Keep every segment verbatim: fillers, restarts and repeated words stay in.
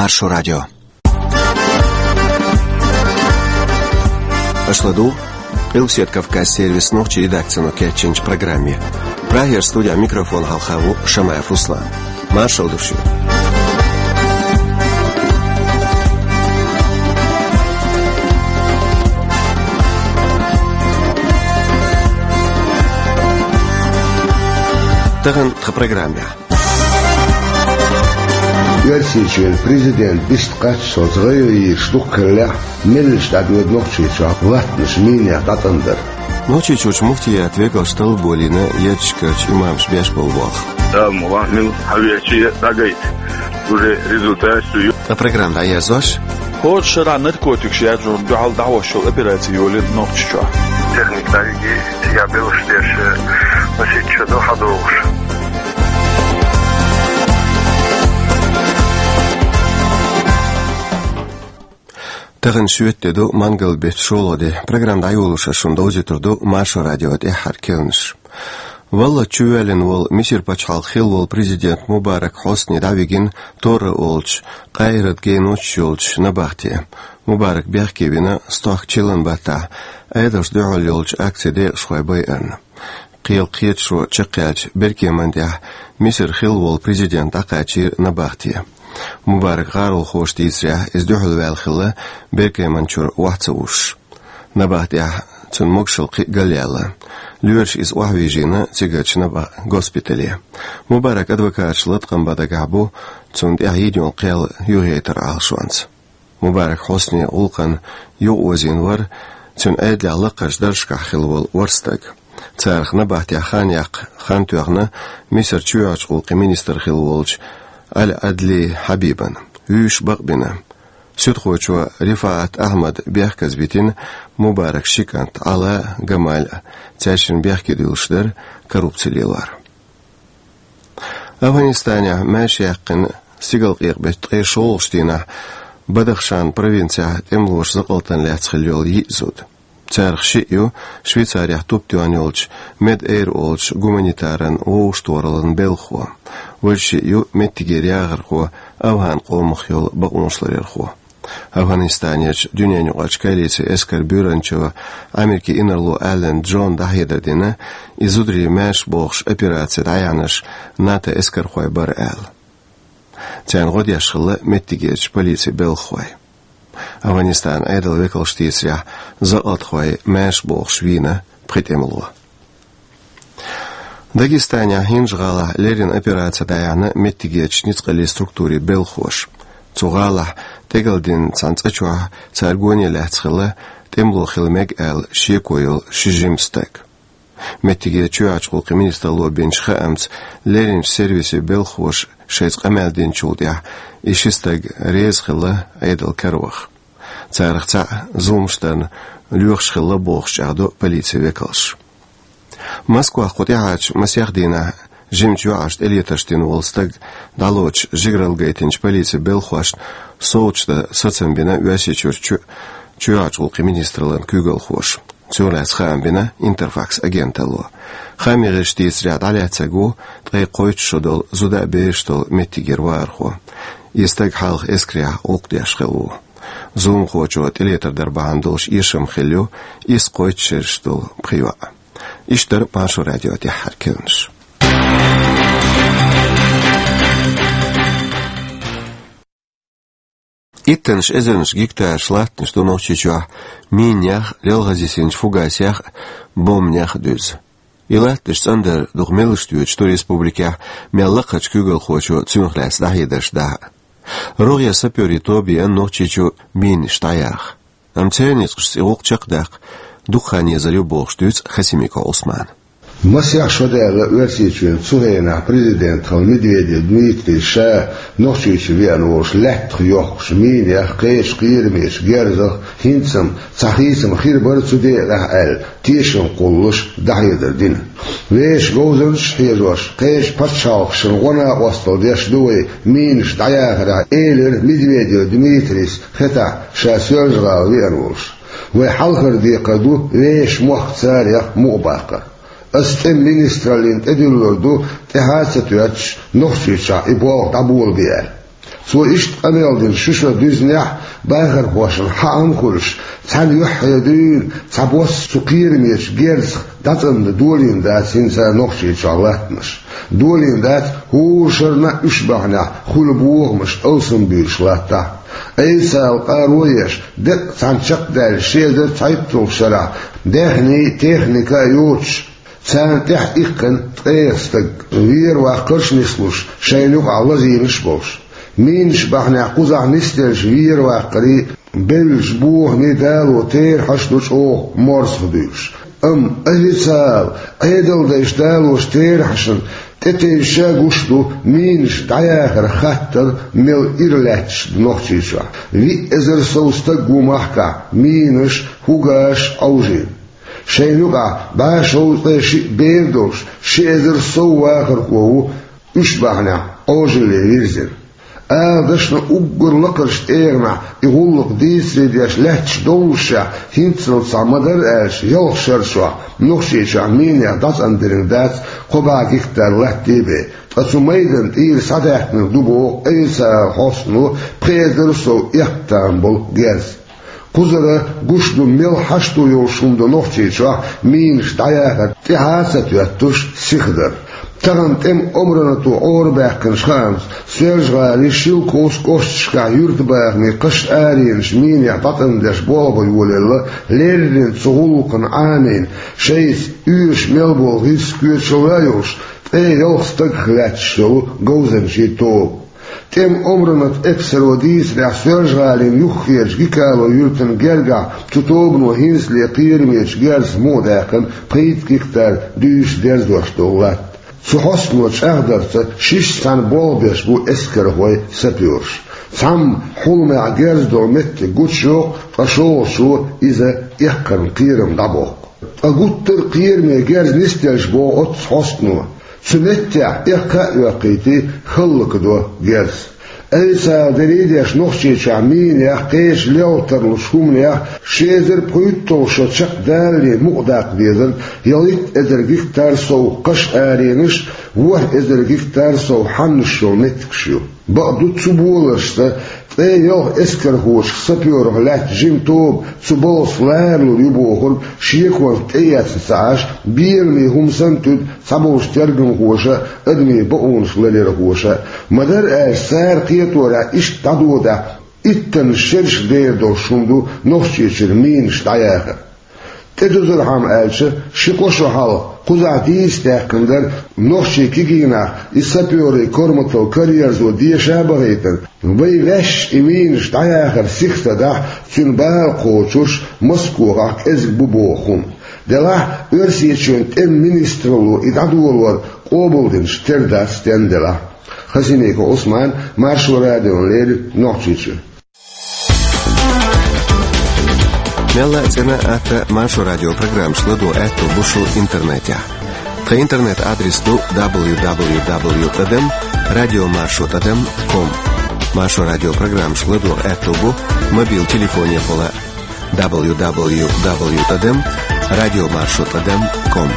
Маршо радио. Аша ладугӀу Къилбаседа Кавказан сервисан нохчийн редакцино кечйинчу программе. Прагера студехь микрофон хьалха ву Шамаев Руслан. Маршалла ду шуьга. Тахана тхан программехь. Оьрсийчоьнан президент бист кхаччалц гӀайгӀа йийраш дукха хиллехь, меллаша дӀадоьду Нохчийчохь латтанаш минех дӀатӀандар. Нохчийчуьрчу муфтиятан векалша таллабо лина езачу карчу имамаша беш болу болх. Дала мукъ лахь, мила хьан вехча а дӀагайта. Уже результат ю. Ткъа программа дӀаерзош. ХӀора шарахь наркотикаш яржорна дуьхьал дӀахьош йолу операци йолийна Нохчийчохь. Техника дӀайиги, цигахь белхаш деш, масех чу ду хьадогӀуш. Тахана шоьтан де ду, мангал-беттан шолгӀа де. Программа дӀайолош ас шуна довзуьйтур ду Маршо радион тӀаьххьара керланаш. Валлахь, чувоьллина волу Мисар пачхьалкхан хилла волу президент Мубарак Хьусни дӀавигина Торра олучу, Къаиран геночуьра йолчу набахте. Мубарак бехке вина стохка чиллан баттахь, Ӏедалшна дуьхьал йолчу акцин декъашхой байарна. Кхел кхеташо чекхъяьлча, беркеманна тӀехь Мисаран хилла волу президент дӀакхачийра набахте. Мубаракан гӀаролхоша дийцарехь, иза дуьхьал ваьлла хилла беркеманна чуьра охьа ца вуссуш. Набахтехь цуьнан могушалла кхин а галъяьлла. Лоьраша иза охьавижийна цигарчу набахтин госпитале. Мубаракан адвокаташа латкъам бан дагахь бу цунна тӀехь йина йолу кхел юхаяйтар Ӏалашонца. Мубарак Хьуснин гӀуллакхна юкъаозийна вара цуьнан Ӏедалехь лакхарчу даржашкахь хилла волу ворхӀ стаг. Царах набахтехь хан яккха хан тоьхна Мисаран чоьхьарчу гӀуллакхийн министр хилла волчу Аль-Адли Хьабибна. Вуьйш бакъбина. Суьдхочо Рифаат Ахьмада бехказа витина Мубаракан ши кӀант Ӏала а, Гамал а, цаьршинна бехке дуьллуш дара коррупци лелор. Афганистанехь маьрша яьккхина стигалкъекъа беттан ткъе шолгӀачу дийнахь Бадахшан провинцехь тӀемалоша закъалтана лаьцна хилла йолу йиъ зуда. Царах шиъ ю Швейцарехь туп тоьхна йолчу Медэйр олучу гуманитаран вовшахтохараллин белхахо. Важа шиъ ю меттигера яхархо, афган къомах йолу бакъонашларъярхо. Афганистанерчу дуьненаюкъарчу коалицин эскаран буьйранчо, Америкин инарло Аллен Джона дӀахьедар дина, и зударий маьрша бохуш операци дӀаяьхьнарш НАТО эскархой бара аьлла. Царна гӀо деш хилла меттигерчу полицин белхахой. Афганистанан Ӏедалан векалша дийцарехь, закъалтхой маьрша бохуш вийна пхи тӀемало. Дагестанехь ХӀинжа-ГӀалахь леррина операци дӀаяьхьна меттигерчу ницкъаллин структурийн белхахоша. Цу гӀалахь тӀекӀалдина цхьана цӀа чохь цара гоне лаьцна хилла тӀемало хила мега аьлла шеко йолу ши жима стаг. Меттигерчу чоьхьарчу гӀуллакхийн министралло бинчу хаамца, лерринчу сервисийн белхахоша шайца къамел динчул тӀаьхьа и ши стаг реза хилла Ӏедал караваха. Царах цхьаъ зуламаш дарна лоьхуш хилла бохуш чӀагӀдо полицин векалша. Москвахь кху тӀаьхьарчу масех дийнахь жимачу йоӀаршна тӀелетарш дина волу стаг дӀалоцуш жигаралла гайтинчу полицин белхахошна совцуш дан сацам бина Оьрсийчуьрчу чоьхьарчу гӀуллакхийн министраллин куьйгалхоша. Цунах лаьцна хаам бина Интерфакс агенталло. Хааман гӀирсаша дийцарехь, дӀалаьцнарг ву ткъе кхойтта шо долу зуда а бераш а долу меттигера вахархо. И стаг хьалха эскарехь гӀуллакх деш хилла ву. Зуламхочо тӀелетар дар бахьана долуш эшам хилла ю исс кхойтта шераш долу пхи йоӀ. Иштта дара Маршо радион тӀаьххьара керланаш. Иттаннаш эзарнаш гектараш латтанаш ду Нохчийчохь минех, лелхаза йисинчу фугасех а, бомбанех а дуьзна. И латтанаш цӀандар дукха меллаша доьдуш ду республикехь мел лакхарчу куьйгалхочо цунах лаьцна дӀахьедарш дахьа. РогӀера сапёрийн тоба еана Нохчийчу минаш дӀаяха. Амма церан ницкъашца и гӀуллакх чекхдаккха дукха хан езар ю бохуш дуьйцу Хасимиков Ӏусмана. Масех шо даьлла Оьрсийчоьнан цу хенахь президент хилла Медведев Дмитрий ша Нохчийчу веана волуш лаьттах йохкуш минех, кхечу кхерамечу герзах, хӀинца-м цхьа хийцам хир бара цу декъехь аьлла, тешам кхуллуш дӀахьедар дина. Вешан говзанчаш а хьежош, кхечу пачхьалкхашна гӀо-накъосталла деш ду вай минаш дӀаяхарехь, элира Медведев Дмитрийс хетахь, ша Соьлжа-ГӀала веана волуш. Вай хьалхара декхар ду вешан мохк царех мукъабаккхар. Ас тӀеман министраллина тӀедуьллур ду, тӀаьхьа а ца тоьттуш, Нохчийчохь и болх дӀаболабе аьлла. Цо иштта къамел дина шу шо дуьззинехь, бахархошна хьаам хуьлуш, цхьана юьххье дуьйна цхьа бос цу кхерамечу герзах дӀацӀандан долийна дац хӀинца Нохчийчохь латтанаш. Долийна дац хӀора шарна а уьш бахьанехь хуьлу бохамаш алсамбуьйлуш латтахь. Айса ала къаро а еш, деккъа цхьаьна чекхдаьлла ши эзар цхьайтталгӀачу шарахь даьхний, техника а йоцуш, царна тӀаьхьа иккхина ткъех стаг, вера ваккхарш а нислуш, шайна юкъахь лазийнаш а болуш. Мийнаш бахьанехь кхузахь нисделлачу вера ваккхарийн, бевллачу бохамийн дало терахьаш а ду чӀогӀа морзах дуьйлуш. Амма официал, Ӏедалдайша далочу терахьашна тӀетевжича гуш ду мийнаш дӀаяхаран хаттар мел ира лаьтташ ду Нохчийчохь. Виъ эзар сов стаг ву махкахь мийнаш, хӀугаш а Ӏовжийна. Шайна юкъахь бӀе шовзткъе шиъ бер долуш, ши эзар сов вахархо ву уьш бахьанехь Ӏожалле вирзина. Ала дашна, уггар лакхарчу тӀегӀанехь и гӀуллакх дийцаре деш лаьтташ доллушехь, хӀинццалц цхьа, ма-дарра аьлча, ялх шарчохь Нохчийчохь минех дӀацӀандирниг дац кхо бӀе гектар латта бен, ткъа цу майдан тӀера схьадаьхкинарг ду боху официалан хьостано пхи эзар сов эккха там болу герз. Кхузара гуш ду, мел хьашто йолуш хӀума ду Нохчийчохь минаш дӀаяхар тӀаьхьа а ца тоьттуш сиха дар. Тахана тӀеман омранато Ӏорабаьккхинчу хаамца, Соьлжа-ГӀалин Шелковски кӀошташкахь юьртабахамийн кхаш аренаш минех дӀатӀандеш болх бан йолаелла, леррина цу гӀуллакхна Ӏамийна, шайца оьшуш мел болу гӀирс коьчалла а йолуш, ткъе ялх стагах лаьтташ йолу говзанчийн тоба. ТӀеман омранат эпсаро дийцарехь, Соьлжа-ГӀалин юххерчу Гикало юьртана гергахь цу тобано хӀинцале кхерамечу герзах мукъадаьккхина пхийтта гектар дуьйцуш дерзош долу латта. Цу хьостано чӀагӀдарца, шишша цхьаьна болх беш бу эскархой, сапёраш. Цхьамма хьуламехь герз долу меттиг гучуйоккху, ткъа шолгӀачо иза эккхаран кхерам дӀабоккху. Ткъа гуттар а кхераме герз нисделча, боху оццу хьостано, цу меттехь эккха а оьккхийтий, хӀаллакдо герз. Официал дерриг а деш, Нохчийчохь минех, кхечу лелха тарлучу хӀуманех ши эзар пхийтталгӀа шо чекхдалале мукъадаккха дезарг ялхитта эзар гектар сов кхаш аренаш, ворхӀ эзар гектар сов хьаннаш йолу меттигаш ю. Бакъду, цу боларшца ткъе ялх эскархочух сапёрах лаьтта жима тоба цу балхаца ларалур ю бохург шеконца тӀеэцна ца Ӏаш, беламе хӀума санна туьду цхьаболчу тергамхоша а, адамийн бакъонаш ларъярхоша а. Ма-дарра аьлча, цара кхеторехь, иштта дӀадодахь, иттаннаш шерашка дер долуш хӀума ду Нохчийчуьра минаш дӀаяхар. ТӀедузурхьама аьлча, ши-кхо шо хьалха кхузахь дийца даьккхина дара нохчийн кегий нах и сапёрийн корматалла караерзо деша а бахийтина, вай ваьш и минаш дӀаяхар сиха ца дахь, цуьнан бала кхочуш, Москохахь кӀезиг бу боху хӀума. Делахь, Оьрсийчоьнан тӀеман министралло и дӀадолор къобалдинчу тера дац стенна делахь. Хасимиков Ӏусман, Маршо радиона леррина, Нохчийчуьра. Мелла а цӀена а, атта а Маршо радион программаш ладогӀа аьтто бу шун интернетехь. Тхан интернет-адрес ду дабл ю дабл ю дабл ю тӀадам радио маршо тӀадам ком. Маршо радион программаш ладогӀа аьтто бу мобил телефонехула дабл ю дабл ю дабл ю тӀадам радио маршо тӀадам ком.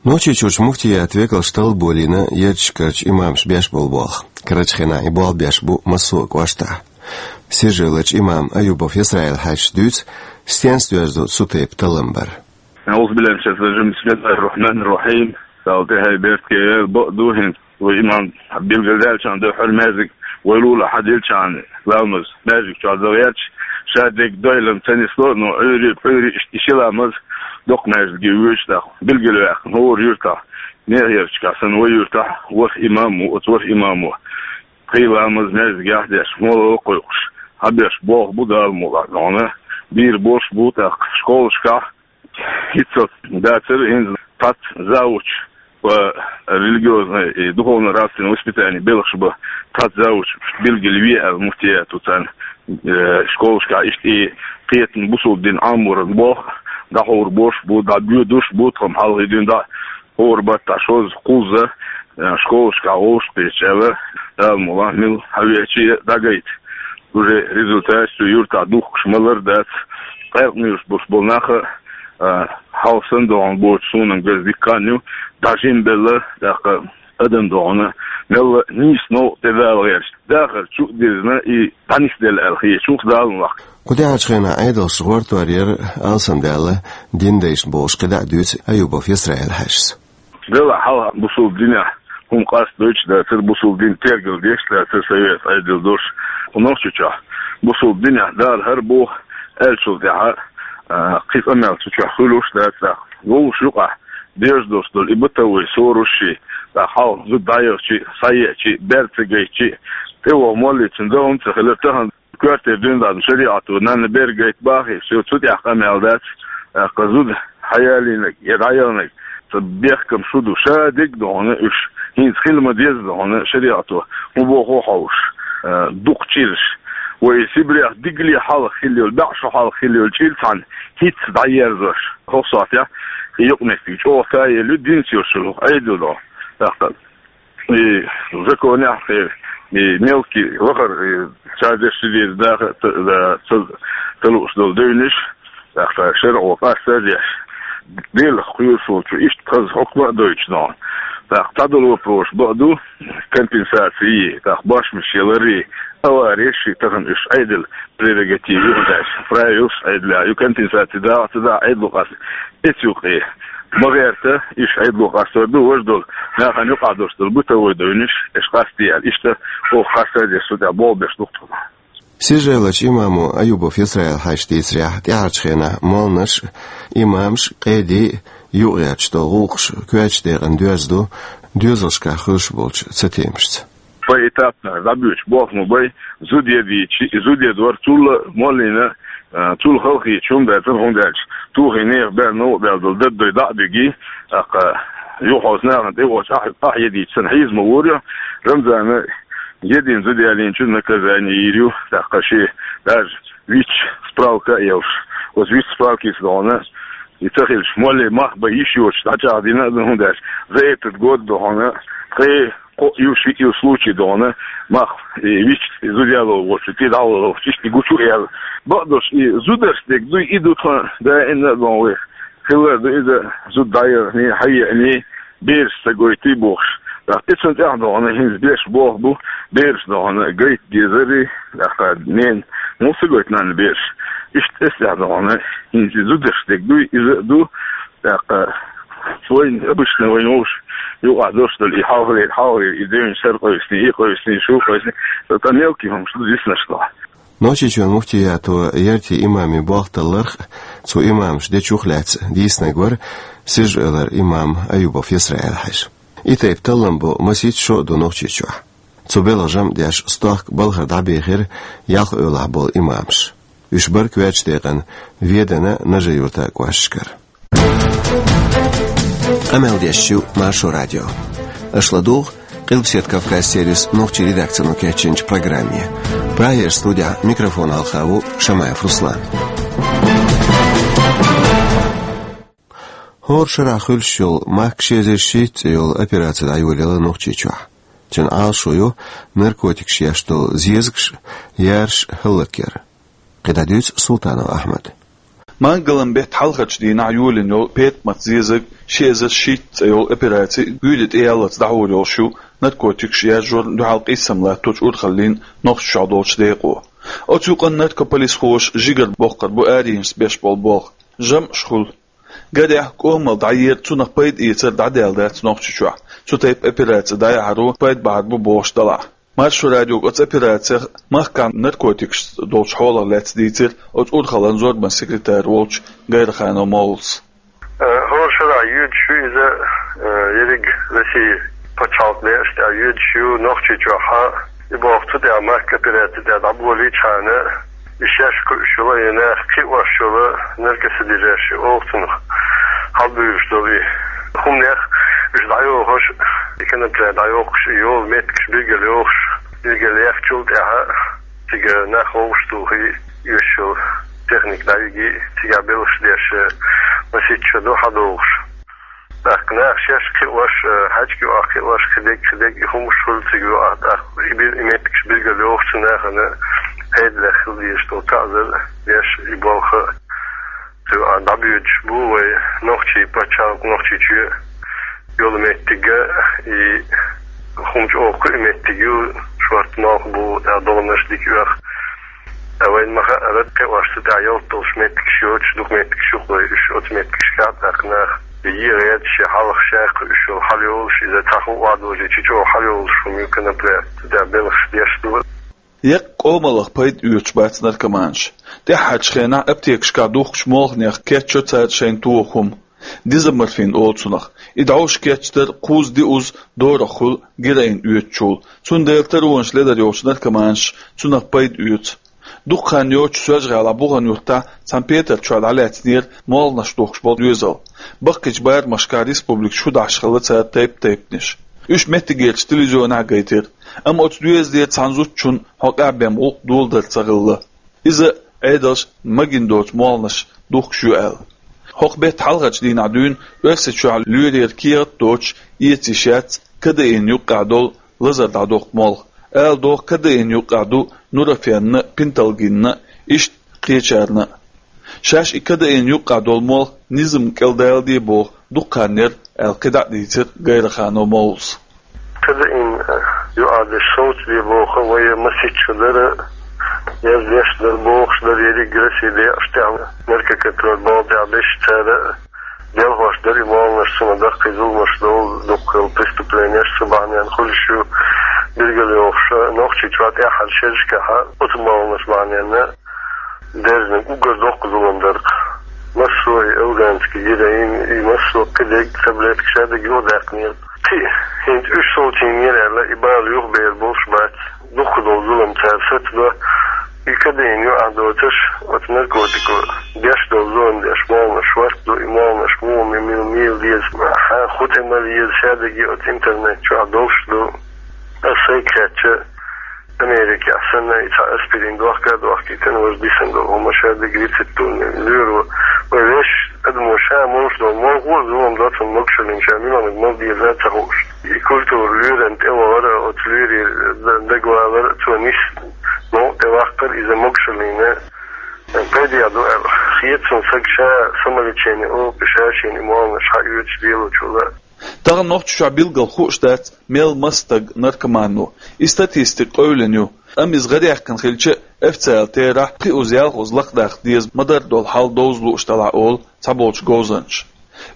Нохчийчуьрчу муфтиятан векалша талла болийна ярташкарчу имамаша беш болу болх. Карарчу хенахь и болх беш бу массо а кӀоштахь. Сиржа-Эвларчу имам Аюбов Исраил-Хьаьжас дуьйцу, стенца доьзна ду цу тайпа талламбар. أعوذ بالله من الشيطان الرجيم. بسم الله الرحمن الرحيم. Далла тӀаьхье беркате яйла. Бакъду, хӀинца вай имам билгалдаьллачхьана дуьххьара маьждиг вай лулахь хьадиллачхьана ламаз маьждиг чохь дан гӀерташ, ша дерг дойлам ца нисло, но Ӏуьйре, пхьуьйре иштта и ши ламаз доккха маьждиге воьдуш, тӀаккха билгалваьккхина хӀора юьртахь, нехерчахь санна вай юьртахь ворхӀ имам ву, оцу ворхӀ имамо пхи ламаз маьждигехь деш, молла а кхойкхуш, хьабеш болх бу Дала мукъ лахь догӀна, бийр болуш бу тӀаккха школашкахь. ХӀинццалц дацара хӀинца цхьацца завуч, по религиозной и духовно-нравственное воспитание белхаш бан цхьацца завуч билгалве аьлла муфтиято царна, э, школашкахь иштта и кхетам, бусалба дин Ӏаморан болх дӀахьур болуш бу, дӀабоьдуш бу, тхо-м хьалхе дуьйна дӀа хӀора баттахь шозза, кхузза, э, школашкахь вовшахкхетча аьлла, Дала мукъ лахь мила хьавеача а дӀагайта. Уже результаташ цу юьртахь духкуш ма-ларра дац. Къаьркъа муьйлуш болуш болу нах а, а, хьалха санна догӀун боцуш суна-м газ дика хан ю, ДӀажимбелла, тӀаккха адам догӀана, мелла нийса новкъа тӀедала гӀерташ, дахар чу а дирзина, и дӀанисделла аьлла хеташ ву-кх Дала мукъ лахь. Кху тӀаьхьарчу хенахь Ӏедалш гӀортор яра, алсамдаьлла дин дайшна бохуш, кхидӀа а дуьйцу Аюбов Исраил-Хьаьжас. Делахь хьалха бусулба динехь хӀума къастадойтуш дацара, бусулба дин тергал деш дацара совет Ӏедал долуш. Кху Нохчийчохь бусулба динехь Дала хӀара боху аьллачул тӀаьхьа, а, кхин къамел цу чохь хуьлуш дац тӀаккха. Вовшах юкъахь деш долуш долу и бытовой ссораш, тӀаккха хьалха зуда дӀаяхча а, схьаеача а, бер ца гайтча а, тӀе ваха моллий цуьнан дан хӀума ца хилира, тахана коьртера дуьйна дан шариӀато нанна бер гайта бахий, всё, цу тӀехь къамел дац, тӀаккха зуда хьаялийнарг я дӀаяхнарг, цхьа бехкам шу ду, ша дерг а догӀана уьш, хӀинца хила ма-дезза догӀана шариӀато, хӀун боху хьовсуш, а, дукха чӀираш. Вай Сибрех дигале хьалха хилла йолу, бӀе шо хьалха хилла йолу чӀир цхьаьна хӀинцца дӀаерзош. ХӀокху сохьтехь и юкъаметтиг чӀогӀа таелла ю, динца йолуш йолу хӀокху Ӏедал догӀу. ТӀаккха и законехь, и, и мелкий вахар, и цара деш ца деза даха, ца, ца, ца лууш долу девнаш, тӀаккха шарӀо къастадеш, Делах кхоьруш волчо иштта хаза хьукма а дойтуш догӀу. ТӀаккха цхьадолу вопросаш бакъ ду, компенсаци, тӀаккха бошмаш яларий, авареш, тахана уьш Ӏедал прерогатива ю, уьш правилаш Ӏедалехь ю, компенсаци дагӀа ца дагӀа Ӏедало къаста. Эцу юкъе ма гӀерта, уьш Ӏедало къастор ду, важа долу нахана юкъахь долуш долу бытовой девнаш, уьш къастаде аьлла. Иштта оха къастадеш, цу тӀехь болх беш ду-кх тхо. Сижаевларчу имамо Аюбов Исраил-Хьаьжас дийцарехь, тӀаьхьарчу хенахь молланаш а, имамаш а, къеди а юкъагӀерташ долу гӀуллакхаш коьртачу декъана доьзна ду, доьзалшкахь хуьлуш болчу цатемашца. Поэтапно дӀабоьдуш болх ма бай, зуда едийча, и зуда едор цул а моллина, а, цул халахеташ хӀума дац, хӀунда аьлча тухий нехан бер новкъа баьлла долу даддой дӀа а бигий, тӀаккха юха хьовса нахана тӀе воцуш ахь, ахь едийча санна хьийза ма вора, Рамзана едина зуда ялийначун наказание йийр ю, тӀаккха шен даже витча справка а йолуш, оцу витча справкица догӀана, и ца хилча, молле мах бан йиш йоцуш дӀачӀагӀдина а ду, хӀунда аьлча за этот год догӀана, ткъе кхоъ ю, шиъ ю случай догӀана, мах, и витча зуда яло воцучу тӀе дӀавала воцуш, иштта и гучу а яьлла. Бакъдолуш и зударшна дерг дуй, и ду тхан даимна а догӀу вай. Хилар ду иза, зуда дӀаяхний, хьаеаний, бераш ца гойтий бохуш. ТӀаккха и цунна тӀехь догӀана хӀинца беш болх бу, бераш догӀана гайта дезарий, тӀаккха ненан муха ца гойту нанна бераш. Иштта эс тӀехь догӀана хӀинца и зударшна дерг дуй, иза а ду, тӀаккха вайн, обычно вайн вовшах юкъахь долуш долу и хьалхалера, хьалхалера и девнаш сар къовсаний, и къовсаний, шу къовсаний, тӀаккха мелкий хӀумаш ду диснарш долу. Нохчийчоьнан муфтиято яртийн имамийн болх талларх а, цу имамаша дечух а лаьцна дийцинарг вара Сижаевлара имам Аюбов Исраил-Хьаьжа. И тайпа таллам бо масийтта шо а ду Нохчийчохь. Цу белхан жамӀ деш стохка балхара дӀабехира ялх эвлахь болу имамаш. Уьш бара коьртачу декъана Веданан а, Нажи-Юьртан а кӀошташкара. Къамел деш ю Маршо радио. Аша ладугӀу Къилбаседа Кавказ сервисан нохчийн редакцино кечйинчу программе. Прагера студехь микрофон хьалха ву Шамаев Руслан. ХӀора шарахь хуьлуш йолу махка ши эзар шийтта цӀе йолу операци дӀайолаелла Нохчийчохь. Цуьнан Ӏалашо ю наркотикаш еш долу зезагаш а, яраш а хӀаллакъяр. КхидӀа дуьйцу Султанов Ахьмада. Мангал-м беттан хьалхарчу дийнахь йолийна йолу петамат зезаг, ши эзар шийтта цӀе йолу операци гуьйре тӀеяллалц дӀахьур йолуш ю наркотикаш яржорна дуьхьал къийсам латточу урхаллин Нохчийчохь долчу декъо. Оцу юкъанна наркополисхоша жигара боккхур бу аренашца беш болу болх. ЖамӀаш хуьлу. Гарехь, кӀомал дӀаера, цунах пайда эцар дӀадаьлла дац Нохчийчохь. Цу тайпа операци дӀаяхьаро пайда бахьар бу бохуш делахь. Маршо радиога оцу операцех махкахь наркотикашца долчу хьолах лаьцна дийцира оцу урхаллан зорбанан секретарь волчу Гайраханов Моллас. Э, хӀора шарахь йоьдуш ю иза, э, ерриг Россин пачхьалкх декъашна тӀехь йоьдуш ю Нохчийчохь а. И болх цу тӀехь махка операци тӀехь дӀаболийчхьана, и шаьш кхуьуш йолу, я нах кхиош йолу наркосодержащий олу цунах, хьалабуьйлуш долу и хӀуманех, уьш дӀайохуш, и конопля дӀайохуш, и йолу меттигаш билгалйохуш, билгалъяьхначул тӀаьхьа цига нах вовшахтухий, оьшуш йолу техника дӀайигий, цигахь белхаш деш, масийтта шо ду хьадогӀуш. ТӀаккха наха шаьш кхиош, э, хьаьжкӀа юкъахь кхиош, кхидерг, кхидерг и хӀумаш хуьлу цига юкъахь, тӀаккха и бир-, и меттигаш билгалйохучу нахана пайда лаьхна хила дезаш долу таӀзар деш, и болх цу юкъахь дӀабоьдуш бу вай нохчийн пачхьалкх, Нохчийчоь. йолу меттиг, и хӀума чӀогӀа кхуьу меттиг ю, шортта малх бу, тӀе догӀанаш дика оьху. Ткъа вайна ма хаъара, кхиош цу тӀехь ялта долуш меттигаш йоцуш, дукха меттигаш ю-кх вай, уьш оцу меттигашкахь а тӀаккха нах. Е гӀерташ, е хьалха шаьш кхуьуш йолу хьалайолуш, иза цхьа хӀума охьадожий, чӀогӀа хьалайолуш хӀума ю, конопля, цу тӀехь белхаш деш ду. Еккъа къомаллах пайда оьцуш бац наркоманаш. ТӀаьххьарчу хенахь аптекашкахь духкучу молханех кечйо цара шайна тоха хӀума. Дезоморфин олу цунах. И дӀовш кечдар кхузза-диъазза дорах хуьлу героин оьцучул. Цундела таронаш лелар йолчу наркоманаш цунах пайда оьцу. Дукха хан йоццуш Соьлжа-ГӀалахь Бухана-Юьртахь цхьана петар чохь дӀалаьцнера молханаш духкуш болу доьзал. Баккхийчу барамашкахь республикан шо дахьаш хилла цара тайп-тайпанаш. Уьш меттигерчу телевизионехь а гайтира. Амма оцу доьзалера цхьана зудчунна хьокъехь бен гӀуллакх доладар ца хилла. Иза Ӏедалша магийна доцу молханаш духкуш ю аьлла. ХӀокху беттан хьалхарчу дийнахь дуьйна Оьрсийчохь лоьрера кехат а доцуш эца йиш яц кадеин юккъехь долу лазар дӀадоккху молха. Ала догӀу, кадеин юккъехь ду нурофенна а, пенталгинна а, иштта кхечарна а. Шаьш и кадеин юккъехь долу молха низам кӀел даладе боху дукха хан яра аьлла кхидӀа а дийцира Гайраханов Мовлас. Кадеин юккъехь дерш совцаде боху вай масийтта дара, яздеш дара, бохуш дара, ерриг Россин декъашкахь тӀехь наркоконтроль балха тӀехь берш цара делхош дара и молханаш, цунах даккхий зуламаш долу, дуккха преступленеш цу бахьанехь хуьлуш ю, билгалйохуш, Нохчийчохь тӀаьххьарчу шерашкахь оцу молханаш бахьанехь дерзна уггар доккха зулам дара-кх. Массо а и афганский героин, и массо а кхидерг таблетка шадерг юхадаьккхинера. Кхин а хӀинца уьш совцийнера аьлла, и бала юхабер болуш бац. Дуккха долу зулам цара сацадо. И кадеин юккъехь доцуш, оцу наркотико деш долу зулам деш молханаш шортта ду, и молханаш муха ма-, ма-, мила деза, хьан хӀун тӀе мала еза, шадерг оцу интернет чохь долуш ду. Ас сайга хаьттича, Америкехь санна, и цхьа аспирин дохка а дохкийтина, важа дисина долу хӀума, шадерг рецептурный лоьро. Вай вешан адамо ша молуш долу молха а зулам до, цунна могушаллина ша муьлханиг мала деза а ца хууш. И культура лоьрана тӀе вахара, оцу лоьрийн д-, дагавалар, цо нисса новкъа тӀе ваккхар, иза могушаллина пайдехь ду аьлла. Хета суна, сага ша самолечение олу, ша шена и молханаш схьаоьцуш лелочул а. Тахана Нохчийчохь билггал хууш дац, мел маса стаг наркоман ву. И статистика къевлина ю, амма иза гӀараьккхина хилча а, официалан терахь пхиъазза-ялхазза лакхадаккха деза ма-дарра долу хьал довза лууш делахь, олу цхьаболчу говзанчаша.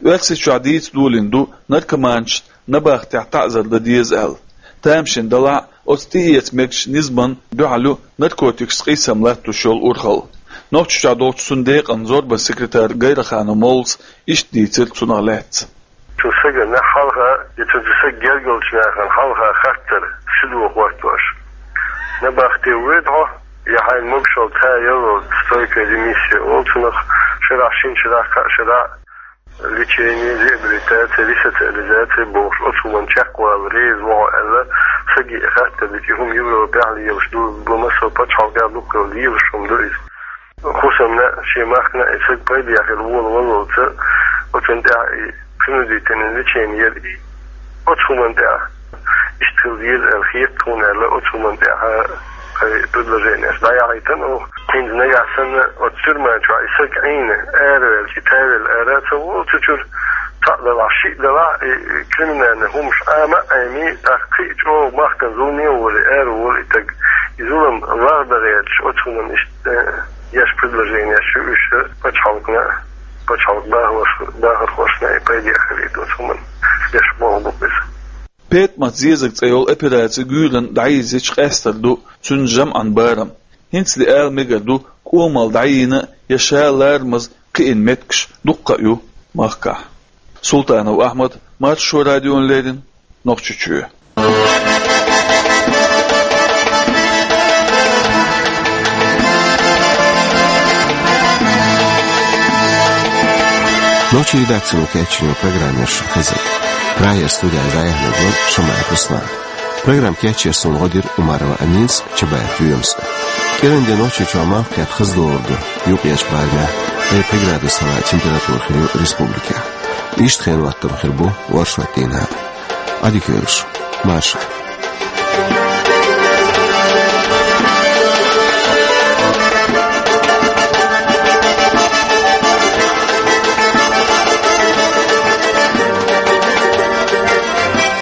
Оьрсийчохь дийца долийна ду наркоманашна набахтехь таӀзар дан деза аьлла. Тамашийна делахь а, оцу тӀеэца мегаш низамна дуьхьал ю наркотикашца къийсам латтош йолу урхалла. Нохчийчохь долчу цуьнан декъан зорбанан секретара Гайраханов Мовлас иштта дийцира цунах лаьцна. Цу стагана хьалха, я цу стага гергарчу нахана хьалха хаттар, ши дохо хӀоттош: набахте воьду хьо, я хьайна могушалла ца яллалц, стойкая ремиссия олу цунах, шарахь, шина шарахь, кхаа шарахь лечение, реабилитация, ресоциализация бохуш, оцу хӀуманна чекхвала реза ву хьо аьлла, стаге хаттар дича, и хӀума Европехь лелаш ду, бу массо а пачхьалкхехь дуккха лелаш хӀума ду иза. ХӀусамна, шен махкана и стаг пайдехь хила волавеллалц, оцунна тӀехь и принудительный лечение яра и. Оцу хӀуманна тӀехь иштта хила деза аьлла хета тхуна аьлла, оцу хӀуманна тӀехь кхин предложенеш дӀаяхьийтина оха. ХӀинца нагахь санна оцу тюрьма чохь и стаг Ӏийна, араваьлча, и тавелла ара а ца волу цу чуьра, цхьаъ делахь, шиъ делахь, и криминальный хӀумаш Ӏама а Ӏемий, тӀаккха кхин а чӀогӀа махкана зуламе а волий, ара волу и стаг. И зулам лагӀдан гӀерташ, оцу хӀуманна иштта Э, еш предложенеш ю уьш пачхьалкхана, пачхьалкхан бахархошна, бахархошна и пайдехь хилийта оцу хӀуманна еш болх бу иза. ПетӀамат зезаг цӀе йолу операци гуьйранна дӀайирзича къаьстар ду цуьнан жамӀан барам. ХӀинцале ала мегар ду, кӀомал дӀайийна я ша ларамаза кхиъна меттигаш дуккха а ю махкахь. Султанов Ахьмад, Маршо радиона леррина, Нохчийчоь. Нохчийн редакцино кечйина программа шу хезира. Прагера студехь дӀаяьхьнарг вара Шамаев Руслан. Программа кечъеш суна гӀо дира Умарова Аминас, Чабаев Лоьмас. КӀиран де Нохчийчохь малх кхетта хаза догӀур ду юкъерчу барамехь, ткъе пхи градус хилла температура хир ю республикехь. Иштта хенан хӀоттам хир бу оршот дийнахь. Ӏадика йойла шу, марша.